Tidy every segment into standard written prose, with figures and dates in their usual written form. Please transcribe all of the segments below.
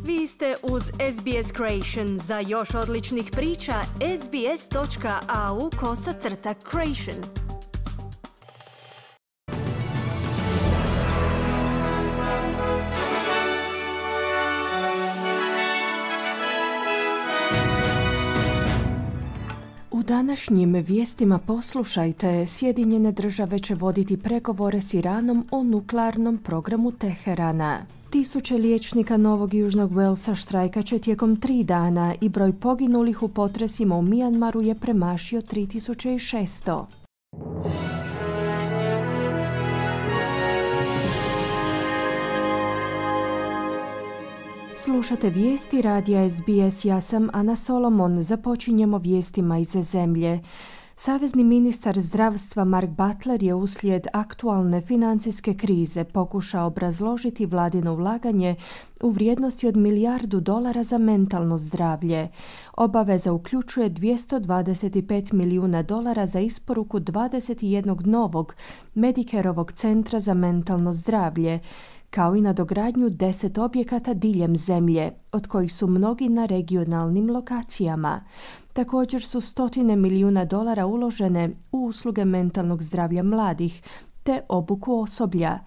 Vi ste uz SBS Creation. Za još odličnih priča, sbs.au/creation. U današnjim vijestima poslušajte, Sjedinjene države će voditi pregovore s Iranom o nuklearnom programu Teherana. Tisuće liječnika Novog Južnog Walesa štrajkat će tijekom 3 dana i broj poginulih u potresima u Mijanmaru je premašio 3600. Slušate vijesti radija SBS, ja sam Ana Solomon. Započinjemo vijestima iz zemlje. Savezni ministar zdravstva Mark Butler je uslijed aktualne financijske krize pokušao obrazložiti vladino ulaganje u vrijednosti od $1 milijardu za mentalno zdravlje. Obaveza uključuje $225 milijuna za isporuku 21 novog Medicareovog centra za mentalno zdravlje, kao i nadogradnju 10 objekata diljem zemlje, od kojih su mnogi na regionalnim lokacijama. Također su $100 milijuna uložene u usluge mentalnog zdravlja mladih te obuku osoblja.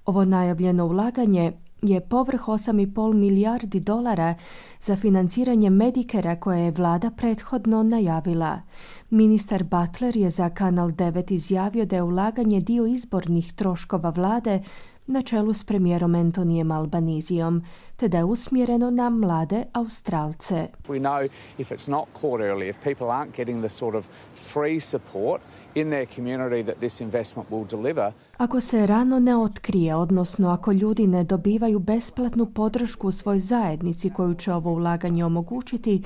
Ovo najavljeno ulaganje je povrh $8,5 milijardi za financiranje Medicarea koje je vlada prethodno najavila. Ministar Butler je za Kanal 9 izjavio da je ulaganje dio izbornih troškova vlade na čelu s premijerom Antonijem Albanizijom, te da je usmjereno na mlade Australce. We know if it's not caught early, if people aren't getting the sort of free support in their community that this investment will deliver. Ako se rano ne otkrije, odnosno ako ljudi ne dobivaju besplatnu podršku u svojoj zajednici koju će ovo ulaganje omogućiti,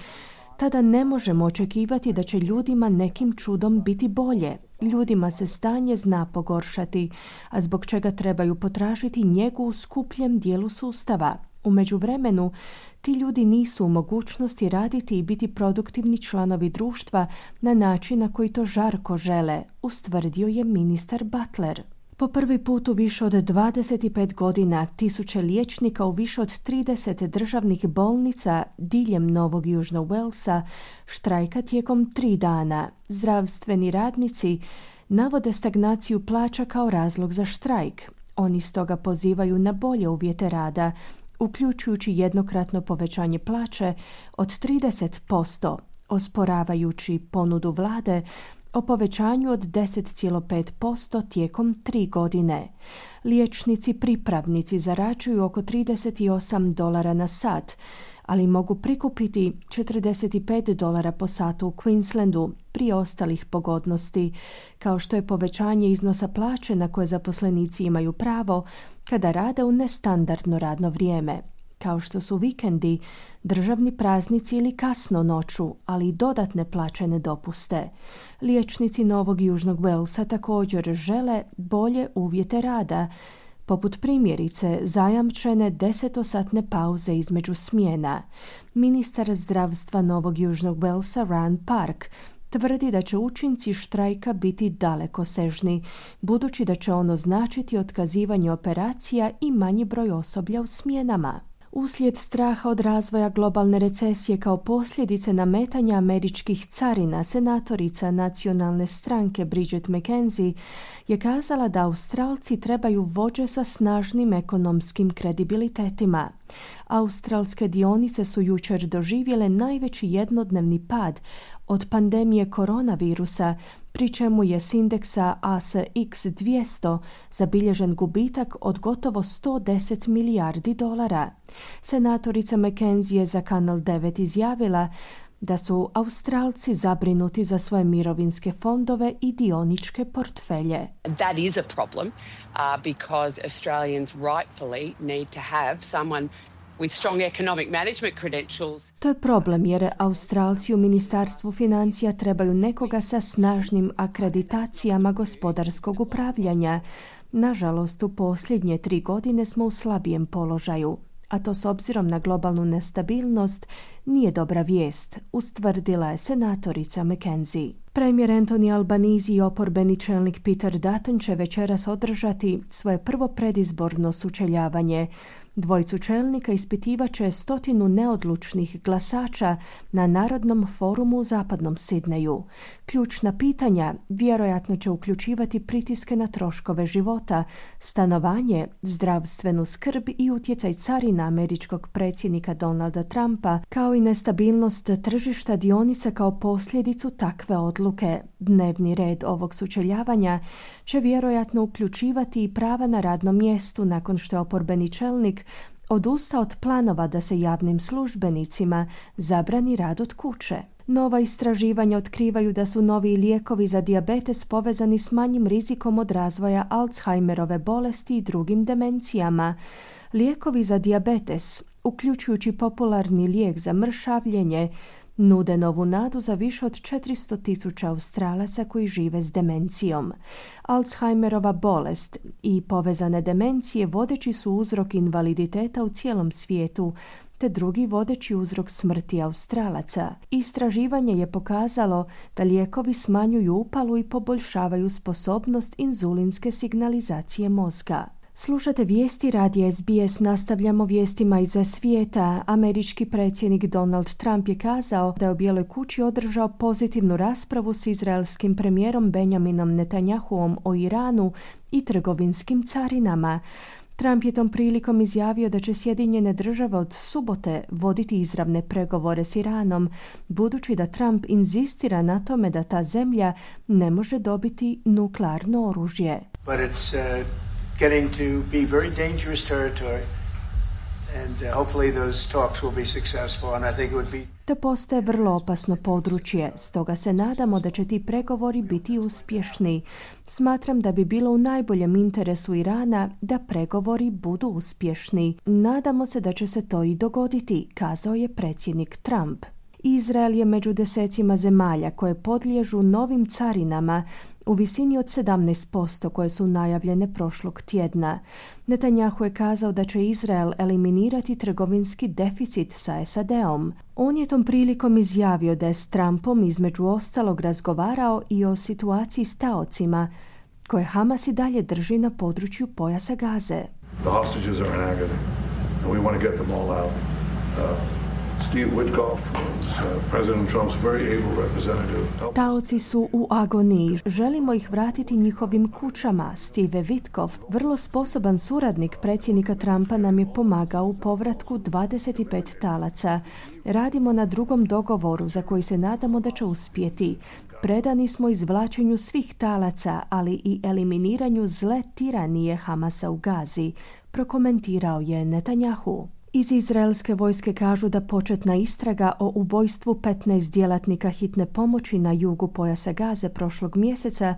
tada ne možemo očekivati da će ljudima nekim čudom biti bolje. Ljudima se stanje zna pogoršati, a zbog čega trebaju potražiti njegu u skupljem dijelu sustava. U međuvremenu, ti ljudi nisu u mogućnosti raditi i biti produktivni članovi društva na način na koji to žarko žele, ustvrdio je ministar Butler. Po prvi put u više od 25 godina tisuće liječnika u više od 30 državnih bolnica diljem Novog Južnog Walesa štrajka tijekom 3 dana. Zdravstveni radnici navode stagnaciju plaća kao razlog za štrajk. Oni stoga pozivaju na bolje uvjete rada, uključujući jednokratno povećanje plaće od 30%, osporavajući ponudu vlade o povećanju od 10,5% tijekom 3 godine. Liječnici pripravnici zarađuju oko $38 na sat, ali mogu prikupiti $45 po satu u Queenslandu prije ostalih pogodnosti, kao što je povećanje iznosa plaće na koje zaposlenici imaju pravo kada rade u nestandardno radno vrijeme, kao što su vikendi, državni praznici ili kasno noću, ali i dodatne plaćene dopuste. Liječnici Novog Južnog Walesa također žele bolje uvjete rada, poput primjerice zajamčene 10-satne pauze između smjena. Ministar zdravstva Novog Južnog Walesa Rand Park tvrdi da će učinci štrajka biti dalekosežni, budući da će ono značiti otkazivanje operacija i manji broj osoblja u smjenama. Uslijed straha od razvoja globalne recesije kao posljedice nametanja američkih carina, senatorica nacionalne stranke Bridget McKenzie je kazala da Australci trebaju vođe sa snažnim ekonomskim kredibilitetima. Australske dionice su jučer doživjele najveći jednodnevni pad od pandemije koronavirusa, pri čemu je s indeksa ASX 200 zabilježen gubitak od gotovo $110 milijardi. Senatorica McKenzie je za Kanal 9 izjavila da su Australci zabrinuti za svoje mirovinske fondove i dioničke portfelje. That is a problem because Australians rightfully need to have someone with strong economic management credentials. To je problem jer Australci u Ministarstvu financija trebaju nekoga sa snažnim akreditacijama gospodarskog upravljanja. Nažalost, u posljednje 3 godine smo u slabijem položaju, a to s obzirom na globalnu nestabilnost nije dobra vijest, ustvrdila je senatorica McKenzie. Premijer Anthony Albanese i oporbeni čelnik Peter Dutton će večeras održati svoje prvo predizborno sučeljavanje. Dvojicu čelnika ispitivaće 100 neodlučnih glasača na Narodnom forumu u zapadnom Sidneju. Ključna pitanja vjerojatno će uključivati pritiske na troškove života, stanovanje, zdravstvenu skrb i utjecaj carina američkog predsjednika Donalda Trumpa, kao i nestabilnost tržišta dionica kao posljedicu takve odluke. Dnevni red ovog sučeljavanja će vjerojatno uključivati i prava na radnom mjestu nakon što je oporbeni čelnik odustao od planova da se javnim službenicima zabrani rad od kuće. Nova istraživanja otkrivaju da su novi lijekovi za dijabetes povezani s manjim rizikom od razvoja Alzheimerove bolesti i drugim demencijama. Lijekovi za dijabetes, uključujući popularni lijek za mršavljenje, nude novu nadu za više od 400.000 Australaca koji žive s demencijom. Alzheimerova bolest i povezane demencije vodeći su uzrok invaliditeta u cijelom svijetu, te drugi vodeći uzrok smrti Australaca. Istraživanje je pokazalo da lijekovi smanjuju upalu i poboljšavaju sposobnost inzulinske signalizacije mozga. Slušate vijesti radija SBS, nastavljamo vijestima iza svijeta. Američki predsjednik Donald Trump je kazao da je u Bijeloj kući održao pozitivnu raspravu s izraelskim premijerom Benjaminom Netanjahuom o Iranu i trgovinskim carinama. Trump je tom prilikom izjavio da će Sjedinjene države od subote voditi izravne pregovore s Iranom, budući da Trump inzistira na tome da ta zemlja ne može dobiti nuklearno oružje. But it's getting to be very dangerous territory, and hopefully those talks will be successful, and I think it would be... To postaje vrlo opasno područje, stoga se nadamo da će ti pregovori biti uspješni. Smatram da bi bilo u najboljem interesu Irana da pregovori budu uspješni. Nadamo se da će se to i dogoditi, kazao je predsjednik Trump. Izrael je među desecima zemalja koje podliježu novim carinama u visini od 17% koje su najavljene prošlog tjedna. Netanjahu je kazao da će Izrael eliminirati trgovinski deficit sa SAD-om. On je tom prilikom izjavio da je s Trumpom između ostalog razgovarao i o situaciji s taocima koje Hamas i dalje drži na području pojasa Gaze. The hostages are in agony and we want to get them all out. Steve Witkoff is President Trump's very able representative. Taoci su u agoniji. Želimo ih vratiti njihovim kućama. Steve Witkoff, vrlo sposoban suradnik predsjednika Trumpa, nam je pomagao u povratku 25 talaca. Radimo na drugom dogovoru za koji se nadamo da će uspjeti. Predani smo izvlačenju svih talaca, ali i eliminiranju zle tiranije Hamasa u Gazi, prokomentirao je Netanjahu. Iz izraelske vojske kažu da početna istraga o ubojstvu 15 djelatnika hitne pomoći na jugu pojasa Gaze prošlog mjeseca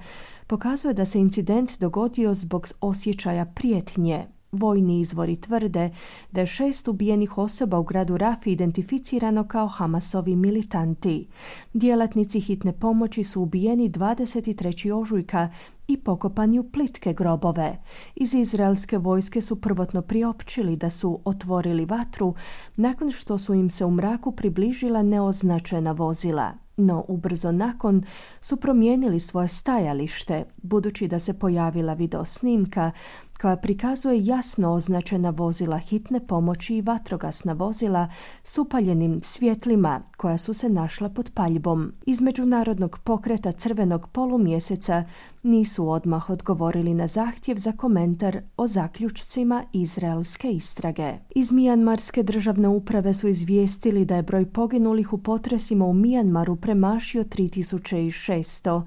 pokazuje da se incident dogodio zbog osjećaja prijetnje. Vojni izvori tvrde da je 6 ubijenih osoba u gradu Rafi identificirano kao Hamasovi militanti. Djelatnici hitne pomoći su ubijeni 23. ožujka i pokopani u plitke grobove. Iz izraelske vojske su prvotno priopćili da su otvorili vatru nakon što su im se u mraku približila neoznačena vozila. No ubrzo nakon su promijenili svoje stajalište, budući da se pojavila videosnimka koja prikazuje jasno označena vozila hitne pomoći i vatrogasna vozila s upaljenim svjetlima koja su se našla pod paljbom. Iz Međunarodnog pokreta Crvenog polumjeseca nisu odmah odgovorili na zahtjev za komentar o zaključcima izraelske istrage. Iz Mijanmarske državne uprave su izvijestili da je broj poginulih u potresima u Mijanmaru premašio 3600.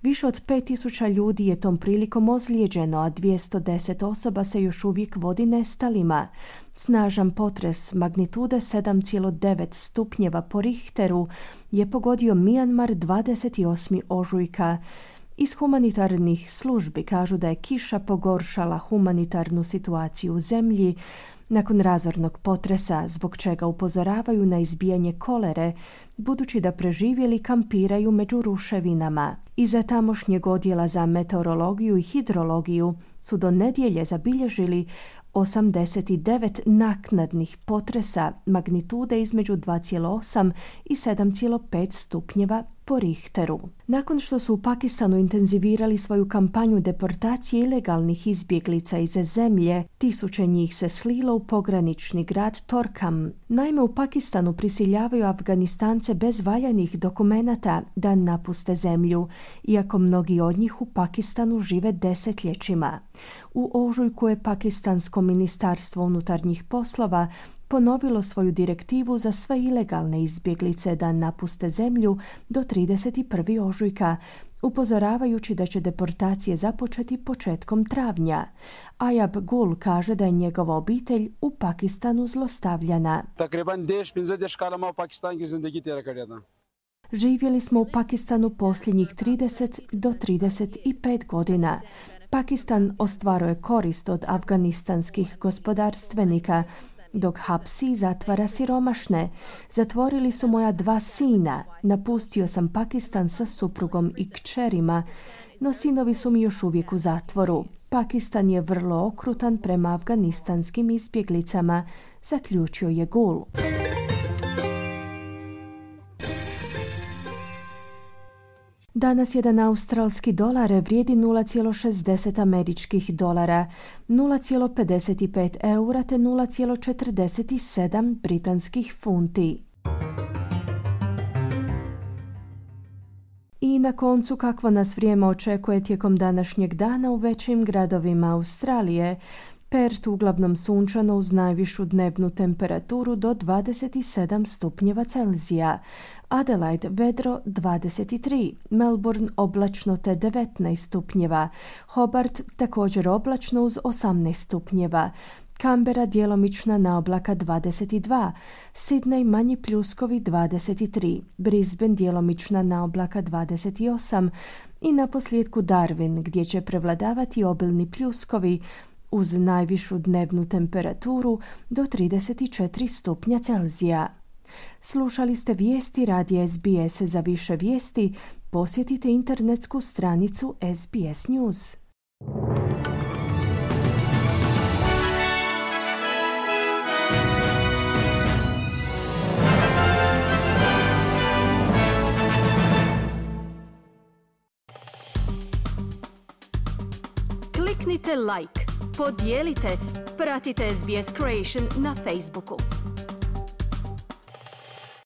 Više od 5000 ljudi je tom prilikom ozlijeđeno, a 210 osoba se još uvijek vodi nestalima. Snažan potres magnitude 7,9 stupnjeva po Richteru je pogodio Mijanmar 28. ožujka. Iz humanitarnih službi kažu da je kiša pogoršala humanitarnu situaciju u zemlji nakon razornog potresa, zbog čega upozoravaju na izbijanje kolere, budući da preživjeli kampiraju među ruševinama. Iza tamošnjeg odjela za meteorologiju i hidrologiju su do nedjelje zabilježili 89 naknadnih potresa magnitude između 2,8 i 7,5 stupnjeva po po Richteru. Nakon što su u Pakistanu intenzivirali svoju kampanju deportacije ilegalnih izbjeglica iz zemlje, tisuće njih se slilo u pogranični grad Torkham. Naime, u Pakistanu prisiljavaju Afganistance bez valjanih dokumenata da napuste zemlju, iako mnogi od njih u Pakistanu žive desetljećima. U ožujku je Pakistansko ministarstvo unutarnjih poslova ponovilo svoju direktivu za sve ilegalne izbjeglice da napuste zemlju do 31. ožujka, upozoravajući da će deportacije započeti početkom travnja. Ayab Gul kaže da je njegova obitelj u Pakistanu zlostavljana. Živjeli smo u Pakistanu posljednjih 30 do 35 godina. Pakistan ostvaruje korist od afganistanskih gospodarstvenika, dok hapsi i zatvara siromašne. Zatvorili su moja 2 sina. Napustio sam Pakistan sa suprugom i kćerima, no sinovi su mi još uvijek u zatvoru. Pakistan je vrlo okrutan prema afganistanskim izbjeglicama, zaključio je Gul. Danas jedan australski dolar vrijedi 0,60 američkih dolara, 0,55 eura te 0,47 britanskih funti. I na koncu, kakvo nas vrijeme očekuje tijekom današnjeg dana u većim gradovima Australije. Perth uglavnom sunčano uz najvišu dnevnu temperaturu do 27 stupnjeva Celzija. Adelaide vedro 23, Melbourne oblačno te 19 stupnjeva, Hobart također oblačno uz 18 stupnjeva, Canberra djelomična naoblaka 22, Sydney manji pljuskovi 23, Brisbane djelomična naoblaka 28 i naposljetku Darwin gdje će prevladavati obilni pljuskovi uz najvišu dnevnu temperaturu do 34 stupnja Celzija. Slušali ste vijesti radija SBS. Za više vijesti posjetite internetsku stranicu SBS News. Kliknite like, podijelite, pratite SBS Creation na Facebooku.